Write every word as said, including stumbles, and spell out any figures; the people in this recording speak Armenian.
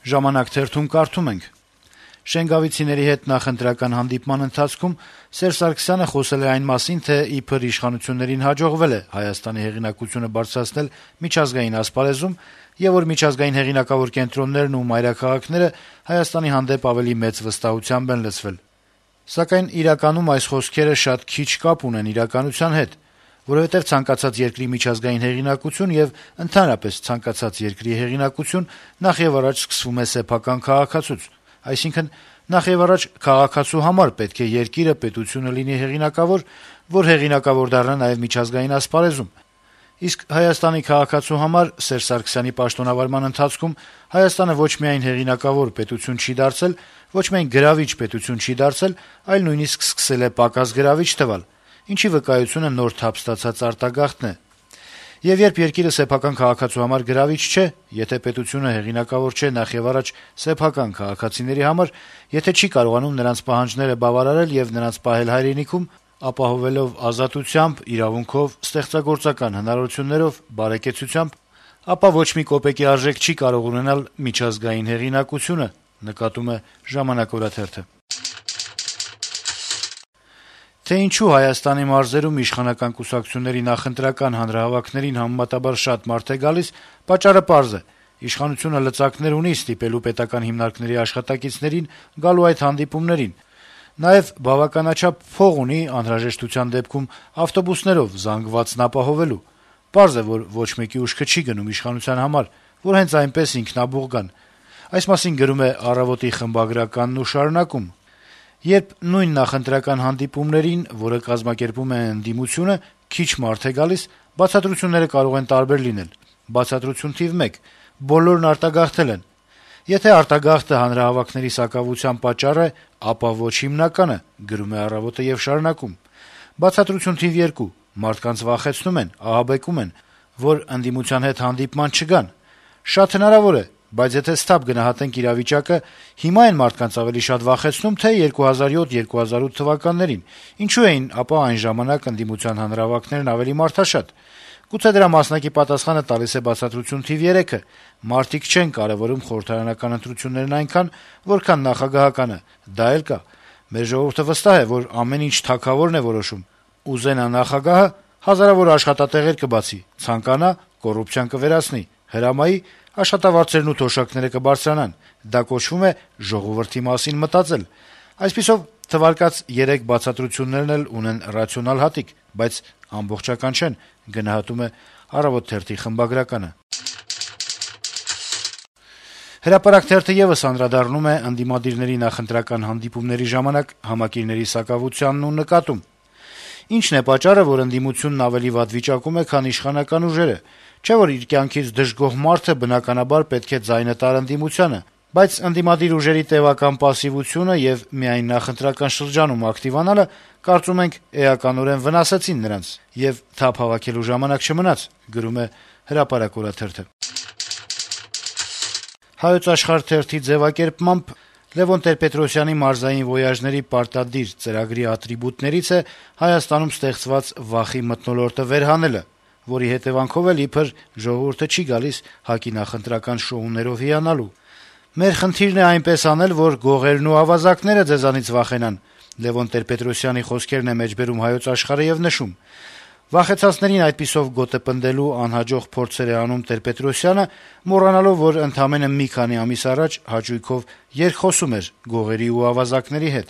«Ժամանակ» թերթում կարդում ենք. - Շենգավիցիների հետ նախընտրական հանդիպման ընթացքում Սերժ Սարգսյանը խոսել է այն մասին, թե իբր իշխանություններին հաջողվել է Հայաստանի հեղինակությունը բարձրացնել միջազգային ասպարեզում, եւ որ միջազգային հեղինակավոր կենտրոններն ու մայրաքաղաքները Հայաստանի հանդեպ ավելի մեծ վստահությամբ են լցվել։ Սակայն իրականում այս խոսքերը շատ քիչ կապ ունեն իրականության հետ, որովհետեւ ցանկացած երկրի միջազգային հեղինակություն եւ ընդհանրապես ցանկացած երկրի հեղինակություն նախ եւ առաջ սկսվում է սեփական քաղաքացուց, այսինքն նախ եւ առաջ քաղաքացու համար պետք է երկիրը, պետությունը լինի հեղինակավոր, որ հեղինակավոր դառնա նաեւ միջազգային ասպարեզում։ Իսկ Հայաստանի քաղաքացու համար Սերժ Սարգսյանի պաշտոնավարման ընթացքում Հայաստանը ոչ միայն հեղինակավոր պետություն չի դարձել, ոչ միայն գրավիչ պետություն չի դարձել, այլ նույնիսկ սկսել է պակաս գրավիչ թվալ, ինչի վկայությունը նոր թափ ստացած արտագաղթն է։ Եվ երբ երկիրը սեփական քաղաքացու համար գրավիչ չէ, եթե պետությունը հեղինակավոր չէ նախ եւ առաջ սեփական քաղաքացիների համար, եթե չի կարողանում նրանց պահանջները բավարարել եւ նրանց պահել հայրենիքում, ապահովելով ազատությամբ, իրավունքով, ստեղծագործական հնարավորություններով, բարեկեցությամբ, ապա ոչ մի կոպեկի արժեք չի կարող ունենալ միջազգային հեղինակությունը, նկատում է «Ժամանակ» օրաթերթը։ Թե ինչու Հայաստանի մարզերում իշխանական կուսակցությունների նախընտրական հանրահավաքներին համեմատաբար շատ մարդ է գալիս, պատճառը պարզ է. իշխանությունը լծակներ ունի ստիպելու պետական հիմնարկների աշխատակիցներին գալու այդ հանդիպումներին, նաեւ բավականաչափ փող ունի անհրաժեշտության դեպքում ավտոբուսներով զանգվածն ապահովելու։ Պարզ է, որ ոչ մեկի ուշքը չի գնում իշխանության համար, որ հենց այնպես ինքնաբուխ գան։ Այս մասին գրում է «Առավոտ»-ի խմբագրականն ու շարունակում. - Երբ նույն նախընտրական հանդիպումներին, որը կազմակերպում է ընդդիմությունը, քիչ մարդ է գալիս, բացատրությունները կարող են տարբեր լինել։ Բացատրություն թիվ մեկ. բոլորն արտագաղթել են։ Եթե արտագաղթը հանրահավաքների սակավության պատճառ է, ապա ոչ հիմնականը, գրում է «Առավոտ»-ը եւ շարունակում. Բացատրություն թիվ երկու. մարդկանց վախեցնում են, ահաբեկում են, որ ընդդիմության հետ հանդիպման չգան։ Շատ հնարավոր է, բայց եթե սթափ գնահատենք իրավիճակը, հիմա են մարդկանց ավելի շատ վախեցնում, թե երկու հազար յոթ երկու հազար ութ թվականներին, ինչու էին ապա այն ժամանակ ընդդիմության հանրահավաքներն ավելի մարդաշատ։ Գուցե դրա մասնակի պատասխանը տալիս է բացատրություն թիվ երեքը. մարդիկ չեն կարեւորում խորհրդարանական ընտրություններն այնքան, որքան նախագահականը, դա էլ կա։ Մեր ժողովուրդը վստահ է, որ ամեն ինչ թագավորն է որոշում։ Ուզենա նախագահը, հազարավոր աշխատատեղեր կբացի, ցանկանա, կոռուպցիան կվերացնի, հրամայի, աշխատավարձերն ու թոշակները կբարձրանան։ Դա կոչվում է ժողովրդի մասին մտածել։ Այսպիսով, թվարկած երեք բացատրություններն էլ ունեն ռացիոնալ հատիկ, բայց ամբողջական չեն, գնահատում է «Առավոտ» թերթի խմբագրականը։ «Հրապարակ» թերթը եւս անդրադառնում է ընդդիմադիրների նախընտրական հանդիպումների ժամանակ համակիրների սակավությանն ու նկատում. - Ինչն է պատճառը, որ ընդդիմությունն ավելի վատ վիճակում է, քան իշխանական ուժերը։ Չէ՞ որ իր կյանքից դժգոհ մարդը բնականաբար պետք է ձայնը տար ընդդիմությանը, բայց ընդդիմադիր ուժերի տեւական պասիվությունը եւ միայն նախընտրական շրջանում ակտիվանալը, կարծում ենք, էականորեն վնասեցին նրանց, եւ թափ հավաքելու ժամանակ չմնաց, գրում է «Հրապարակ» օրաթերթը։ «Հայոց Աշխարհ» թերթի ձեւակերպմամբ Լեւոն Տեր-Պետրոսյանի մարզային վոյաժների պարտադիր ծրագրի ատրիբուտներից է Հայաստանում ստեղծված վախի մթնոլորտը վերհանելը, որի հետեւանքով էլ իբր ժողովուրդը չի գալիս ՀԱԿ-ի նախընտրական շոուներով հիանալու։ Մեր խնդիրն է այնպես անել, որ գողերն ու ավազակները ձեզանից վախենան, Լեւոն Տեր-Պետրոսյանի խոսքերն է մեջբերում «Հայոց Աշխարհ»-ը եւ նշում. Վախեցածներին այդպիսով գոտը պնդելու անհաջող փորձեր է անում Տեր-Պետրոսյանը, մոռանալով, որ ընդամենը մի քանի ամիս առաջ հաճույքով երկխոսում էր գողերի ու ավազակների հետ։